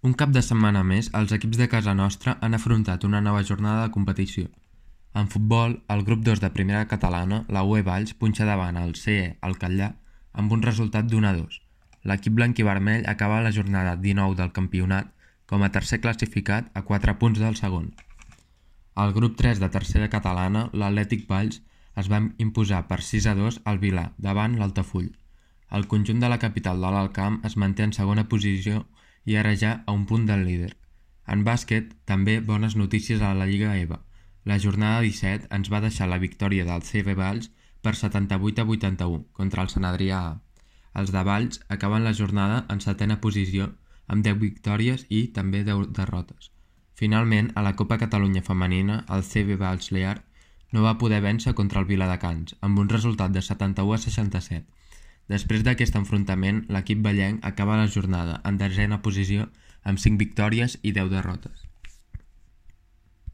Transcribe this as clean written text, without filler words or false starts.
Un cap de setmana més, els equips de casa nostra han afrontat una nova jornada de competició. En futbol, el grup 2 de primera catalana, la UE Valls, punxa davant el CE Alcalà amb un resultat d'1-2. L'equip blanc-i-vermell acaba la jornada 19 del campionat com a tercer classificat a 4 punts del segon. Al grup 3 de tercera catalana, l'Atlètic Valls es va imposar per 6-2 al Vilà, davant l'Altafull. El conjunt de la capital de l'Alt Camp es manté en segona posició i ara ja a un punt del líder. En bàsquet, també bones notícies a la Lliga EVA. La jornada 17 ens va deixar la victòria del CV Valls per 78-81 contra el Sant Adrià A. Els de Valls acaben la jornada en setena posició amb 10 victòries i també 10 derrotes. Finalment, a la Copa Catalunya Femenina, el CV Valls Lear no va poder vèncer contra el Viladecans, amb un resultat de 71-67. Després d'aquest enfrontament, l'equip vallenc acaba la jornada en desena posició amb 5 victòries i 10 derrotes.